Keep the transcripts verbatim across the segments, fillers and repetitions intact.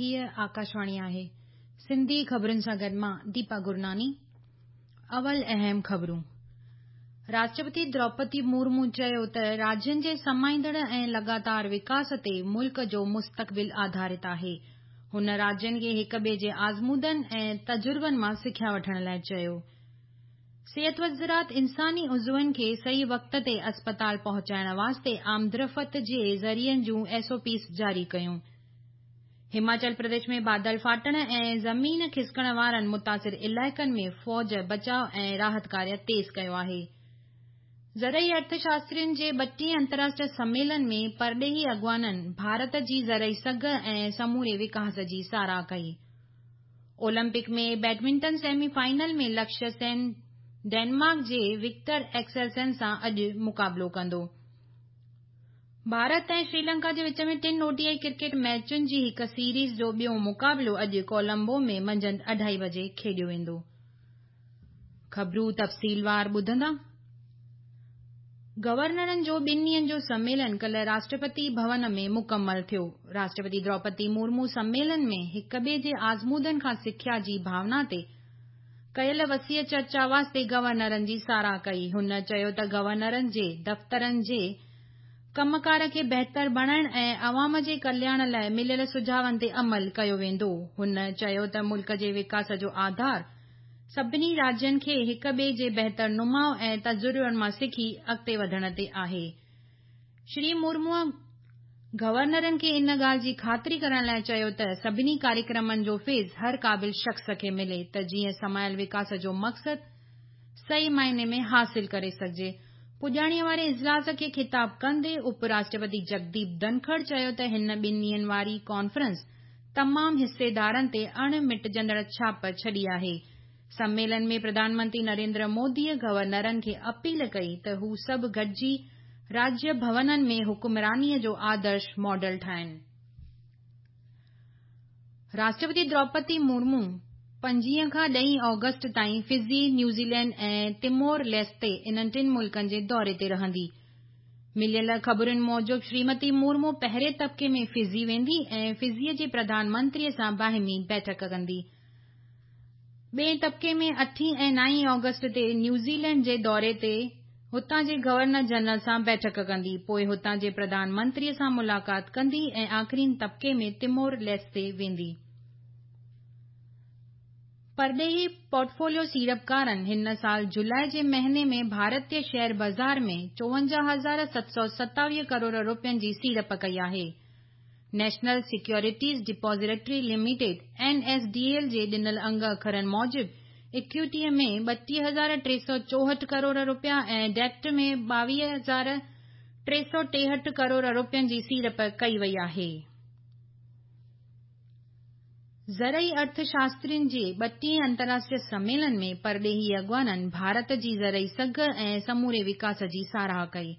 هيءَ آڪاشواڻي آهي. سنڌي خبرن سان گڏ مان ديپا گرناني. اول اهم خبرون. راشٽرپتي دروپدي مرمو چيو ته راجين جي سمائيندڙ ۽ لڳاتار وڪاس تي ملڪ جو مستقبل آڌارت آهي. هن راجين کي هڪ ٻئي جي آزمودن ۽ تجربن مان سکيا وٺڻ لاءِ چيو. صحت وزارت انساني عضون کي صحيح وقت تي اسپتال پهچائڻ واسطي آمدرفت جي ذريعن جون ايس او پيز جاري ڪيون. هماچل پرديش ۾ بادل ڦاٽڻ ۽ زمين کسڪڻ وارن متاثر علائقن ۾ فوج بچاءُ ۽ راحت ڪاريه تيز ڪيو آهي. زرعي ارٿشاسترين جي ٻٽيهين انترراشٽريه سميلن ۾ پرڏيهي اڳواڻن ڀارت جي زرعي سگهه ۽ سموري وڪاس جي ساراهه ڪئي. اولمپڪ ۾ بيڊمنٽن سيمي فائنل ۾ لڪشيه سين ڊينمارڪ جي وڪٽر ايڪسلسن سان اڄ مقابلو ڪندو. ڀارت ۽ شريلنڪا جي وچ ۾ ٽن او ڊي I cricket ميچن جي هڪ سيريز جو ٻيو مقابلو اڄ ڪولمبو ۾ منجهند اڍائي بجي کيڏيو ويندو. خبرون تفصيلوار ٻڌندا. گورنرن جو ٻن ڏينهن جو سميلن ڪالهه راشٽرپتي ڀون ۾ مڪمل ٿيو. راشٽرپتي دروپدي مرمو سميلن ۾ هڪ ٻئي جي آزمودن کان سکيا جي ڀاونا تي ڪيل وسيع چرچا واسطي گورنرن جي ساراهه ڪئي. هن چيو ته گورنرن جي دفترن جي ڪم ڪار کي بهتر بڻائڻ ۽ عوام جي ڪلياڻ لاءِ مليل سجهاون تي عمل ڪيو ويندو. هن چيو ته ملڪ جي وڪاس جو آڌار سڀني راجين کي هڪ ٻئي جي بهتر نماءُ ۽ تجربن مان سکي اڳتي وڌڻ تي آهي. شري مرموءَ گورنرن کي ان ڳالهه جي خاطري ڪرڻ لاءِ چيو ته سڀني ڪاريڪرمن جو فيض هر قابل شخص کي ملي ته جيئن سمايل وڪاس جو مقصد صحيح معني ۾ حاصل ڪري سگهجي. پڄاڻيءَ واري اجلاس کي خطاب ڪندي اپ راشٽرپتي جگديپ ڌنکڙ چيو ته هن ٻن ڏينهن واري ڪانفرنس تمام حصيدارن تي اڻ مٽجندڙ ڇاپ ڇڏي آهي. سميلن ۾ پرڌان منتري نريندر موديءَ گورنرن کي اپيل ڪئي ته هو سڀ گڏجي راجيه ڀونن ۾ حڪمرانيءَ جو آدرش ماڊل ٺاهين. راشٽرپتي دروپدي مرمو پنجويهه کان ڏهين آگسٽ تائين فجي، نيوزيلينڊ ۽ تيمور ليستي انهن ٽن ملڪن جي دوري تي رهندي. مليل خبرن موجب شريمتي مرمو پهرين طبقي ۾ فجي ويندي ۽ فجيءَ جي پرڌان منتريءَ سان باهمي بيٺڪ ڪندي. ٻئي طبقي ۾ اٺين ۽ نائين آگسٽ تي نيوزيلينڊ جي دوري تي هتان جي گورنر جنرل سان بيٺڪ ڪندي، پوءِ هتان جي پرڌان منتريءَ سان ملاقات ڪندي ۽ آخرين طبقي ۾ تيمور ليستي ويندي. پرڏيهي پورٽفوليو سيڙپڪارن هن سال جولاءِ جي مهيني ۾ ڀارتيه شيئر بازار ۾ چوونجاهه هزار ست سؤ ستاويهه ڪروڙ رپين جي سيڙپ ڪئي آهي. National Securities Depository Limited N S D L جي ڏنل انگ اکرن موجب ايڪوئٽيءَ ۾ ٻٽيهه هزار ٽي سؤ چوهٺ ڪروڙ رپيا ۽ ڊيٽ ۾ ٻاويهه هزار ٽي سؤ ٽيهٺ ڪروڙ رپين جي سيڙپ ڪئي وئي آهي. زرعي ارٿشاسترين جي ٻٽيهين انترراشٽريه سميلن ۾ پرڏيهي اڳواڻن ڀارت جي زرعي سگهه ۽ سموري وڪاس جي ساراهه ڪئي.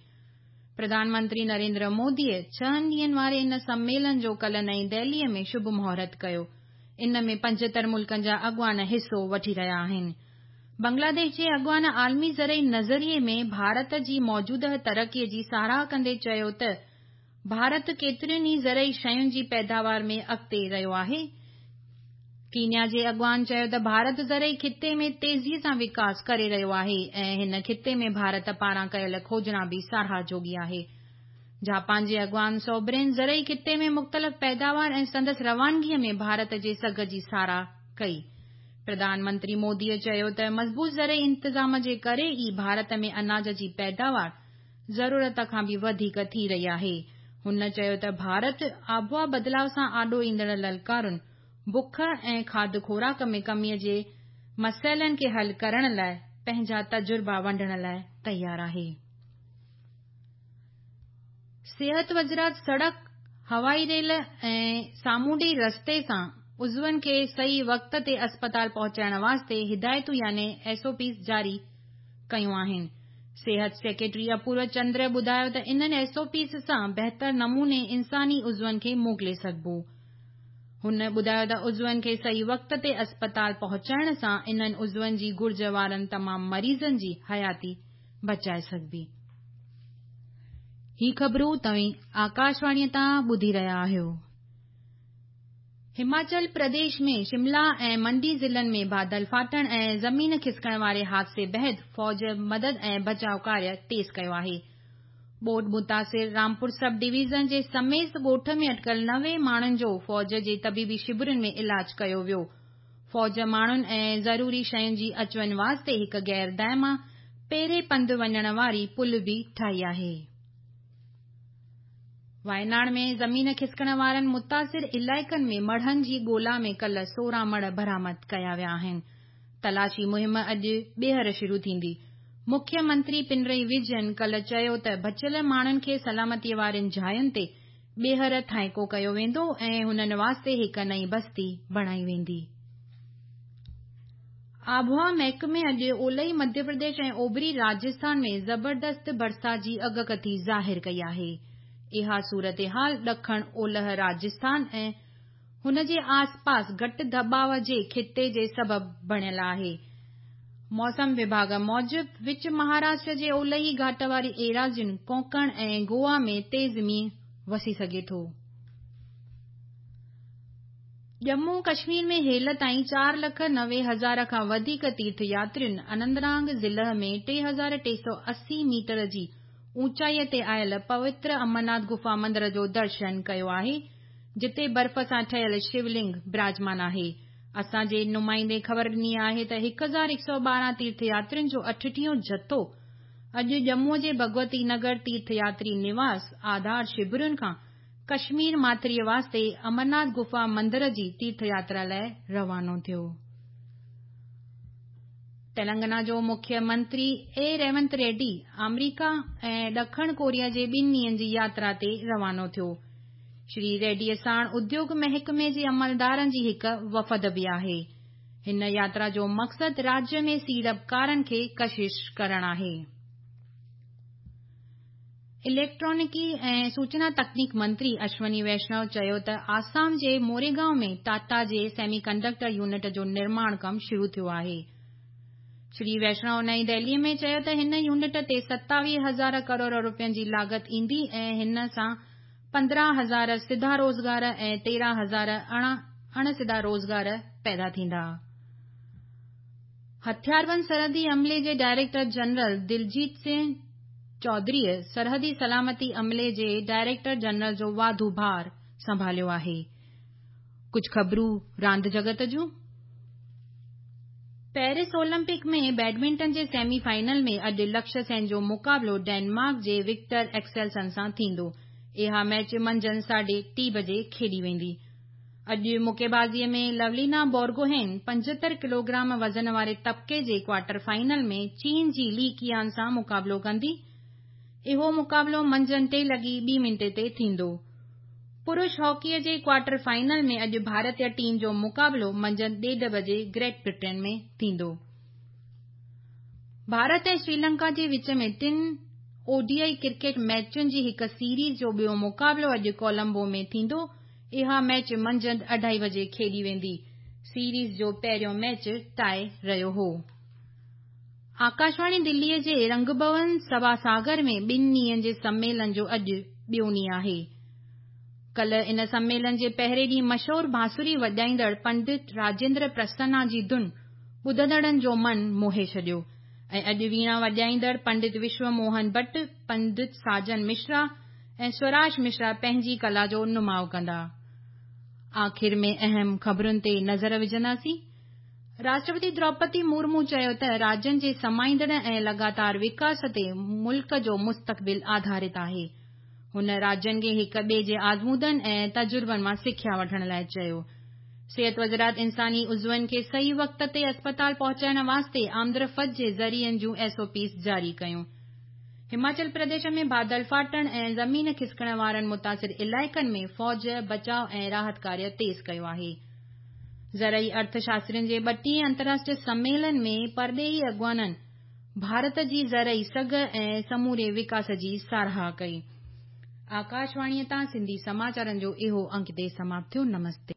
پرڌان منتري نريندر موديءَ ڇهن ڏينهن واري ان سميلن جو ڪالهه نئين دهليءَ ۾ شڀ مهورت ڪيو. ان ۾ پنجهتر ملڪن جا اڳواڻ حصو وٺي رهيا آهن. بنگلاديش جي اڳواڻ عالمي زرعي نظريي ۾ ڀارت جي موجوده ترقيءَ جي ساراهه ڪندي چيو ته ڀارت ڪيترين ئي زرعي شين جي پيداوار ۾ اڳتي رهيو آهي. ڪينيا جي اڳواڻ چيو ته ڀارت زرعي خطي ۾ تيزيءَ سان وڪاس ڪري رهيو آهي ۽ هن خطي ۾ ڀارت پاران ڪيل کوجنا به ساراهه جوڳي آهي. جاپان جي اڳواڻ سوبرين زرعي خطي ۾ مختلف پيداوار ۽ سندس روانگيءَ ۾ ڀارت جي سگهه جي ساراهه ڪئي. پرڌان منتري موديءَ چيو ته مضبوط زرعي انتظام جي ڪري ئي ڀارت ۾ اناج جي پيداوار ضرورت کان به وڌيڪ ٿي رهي آهي. هن چيو ته ڀارت آبهوا بدلاءُ سان آڏو ايندڙ للڪارن، بک ۽ کاڌ خوراڪ ۾ ڪميءَ جي مسئلن کي حل ڪرڻ لاءِ پنهنجا تجربا ونڊڻ لاءِ تيار آهي. صحت وزارت سڙڪ، هوائي ريل ۽ سامونڊي رستي سان عضون کي صحيح وقت تي اسپتال پهچائڻ واسطي هدايتون يعني ايس او پيز جاري ڪيون آهن. صحت سيڪريٽري اپورو چندر ٻڌايو ته انهن ايس او پيز سان بهتر نموني انساني عضون کي موڪلي سگهبو. هن ٻڌايو ته عضون کي صحيح وقت تي اسپتال پهچائڻ سان انهن عضون جي گهرج وارن تمام مريضن جي حياتي بچائي سگهبي. هي خبرون توهين آڪاشواڻيءَ تان ٻڌي رهيا آهيو. هماچل پرديش ۾ شملا ۽ منڊي ضلعن ۾ بادل ڦاٽڻ ۽ زمين کسڪڻ واري حادثي بعد فوج مدد ۽ بچاءُ ڪاريه تيز ڪيو آهي. ٻوڏ متاثر رامپور سب ڊويزن جي سميس ڳوٺ ۾ اٽڪل نوي ماڻهن جو فوج جي طبيبي شبرن ۾ علاج ڪيو ويو. فوج ماڻهن ۽ ضروري شين جي اچ وڃ واسطي هڪ غير دائما پيري پنڌ وڃڻ واري پل به ٺاهي آهي. وايناڊ ۾ زمين کسڪڻ وارن متاثر علائقن ۾ مڙهن جي ڳولا ۾ ڪالهه سورهن مڙهه برآمد ڪيا ويا آهن. تلاشي مهم اڄ ٻيهر شروع ٿيندي. مکيه منتري پنرائي وجين ڪالهه چيو ته بچيل ماڻهن کي سلامتيء وارين جاين تي ٻيهر ٿانيڪو ڪيو ويندو ۽ هنن واسطي هڪ نئين بستي بڻائي ويندي. آبهوا محڪمي اڄ اولهي مڌيه پرديش ۽ اوڀري راجسٿان ۾ زبردست برسات جي اڳڪٿي ظاهر ڪئي آهي. اها صورتحال ڏکڻ اولهه راجسٿان ۽ هن جي آسپاس گهٽ دٻاءُ جي خطي جي سبب بڻيل آهي. موسم وڀاڳ موجب وچ مهاراشٽر جي اولهي گهاٽ واري ايراضين ڪونڪڻ ۽ گوا ۾ تيز مينهن وسي سگهي ٿو. ڄمون ڪشمير ۾ هيل تائين چار لک نوي هزار کان وڌيڪ تيرٿ ياترين اننتناگ ضلع ۾ ٽي هزار ٽي سؤ اسي ميٽر جي اوچائيء تي آيل پوتر امرناٿ گفا مندر جو درشن ڪيو آهي، جتي برف سان ٺهيل شولنگ براجمان آهي. اسان جي نمائندي خبر ڏني آهي ته هڪ هزار هڪ سؤ ٻارهن تيرٿ ياترين جو اٺٽيهون جٿو اڄ ڄمون جي ڀڳوتي نگر تيرٿ ياتري نواس آڌار شبرن کان ڪشمير ماٿريء واسطي امرناٿ گفا مندر جي تيرٿ ياترا لاءِ روانو ٿيو. تلنگانا جو مکيه منتري اي ريونت ريڊي آمريڪا ۽ ڏکڻ ڪوريا جي ٻن ڏينهن جي ياترا تي روانو ٿيو. شري ريڊيء ساڻ اديوگ محڪمي جي عملدارن جي هڪ وفد به آهي. هن ياترا جو مقصد راجيه ۾ سيڙپڪارن کي ڪشش ڪرڻ آهي. اليڪٽرانڪي ۽ سوچنا تڪنيڪ منتري اشوني ويشنو چيو ته آسام جي موريگائون ۾ ٽاٽا جي سيمي ڪنڊڪٽر يونٽ جو نرماڻ ڪم شروع ٿيو آهي. شري ويشنو نئين دهليء ۾ چيو ته هن يونٽ تي ستاويهه هزار ڪروڙ رپين جي لاڳت ايندي ۽ هن سان پندرهن هزار سڌا روزگار ۽ تيرهن هزار اڻ سڌا روزگار پيدا ٿيندا. هٿياربند سرحدي عملي جي ڊائريڪٽر جنرل دلجيت سنگهه چوڌريء سرحدي سلامتي عملي جي ڊائريڪٽر جنرل جو واڌو ڀار سنڀاليو آهي. ڪجهه خبرون راند جڳت جون. پيرس اولمپڪ ۾ بيڊمنٽن جي سيمي فائنل ۾ اڄ لڪشيه سين جو مقابلو ڊينمارڪ جي وڪٽر ايڪسيلسن سان ٿيندو. اها ميچ منجهند ساڍي ٽي بجي کيڏي ويندي. اڄ مڪيبازيء ۾ لولينا بورگوهين پنجهتر ڪلوگرام وزن واري طبقي جي ڪوارٽر فائنل ۾ چين جي لي ڪيان سان مقابلو ڪندي. اهو مقابلو منجهند ٽي لڳي ٻي منٽي تي ٿيندو. پرش هاڪيء جي ڪوارٽر فائنل ۾ اڄ ڀارتيه ٽيم جو مقابلو منجهند ڏيڍ بجي گريٽ برٽن ۾ ٿيندو. ڀارت ۽ سريلنڪا جي وچ ۾ ٽن او ڊي I cricket ميچن جي هڪ سيريز جو ٻيو مقابلو اڄ ڪولمبو ۾ ٿيندو. اها ميچ منجهند اڍائي بجي کيڏي ويندي. سيريز جو پهريون ميچ ٽائي رهيو هو. آڪاشواڻي دليء جي رنگ ڀون سڀا ساگر ۾ ٻن ڏينهن جي سميلن جو اڄ ٻيو ڏينهن آهي. ڪالهه ان سميلن جي پهرين ڏينهن مشهور بانسري وڄائيندڙ پنڊت راجيندر پرسنا جي ڌن ٻڌندڙن جو من موهي ڇڏيو ۽ اڄ ويڻا وڄائيندڙ پنڊت وشو موهن ڀٽ، پنڊت ساجن مشرا ۽ سوراج مشرا پنهنجي ڪلا جو نماءُ ڪندا. آخر ۾ اهم خبرن تي نظر وجهنداسين. راشٽرپتي دروپدي مرمو چيو ته راجين جي سمائيندڙ ۽ لڳاتار وڪاس تي ملڪ جو مستقبل آڌارت آهي. هن راجين کي هڪ ٻئي جي آزمودن ۽ تجربن مان سکيا وٺڻ لاءِ چيو. صحت وزارت انساني عضون کي صحيح وقت تي اسپتال پهچائڻ واسطي آمدرفت جي ذريعن جون ايس او پيز جاري ڪيون. هماچل پرديش ۾ بادل ڦاٽڻ ۽ زمين کسڪڻ وارن متاثر علائقن ۾ فوج بچاءُ ۽ راحت ڪاريه تيز ڪيو آهي. زرعي ارٿشاسترين جي ٻٽيهين انترراشٽريه سميلن ۾ پرڏيهي اڳواڻن ڀارت جي زرعي سگهه ۽ سموري وڪاس جي ساراهه ڪئي. آڪاشواڻيءَ تان سنڌي سماچارن جو اهو انڪ هتي سماپت ٿيو. نمستي.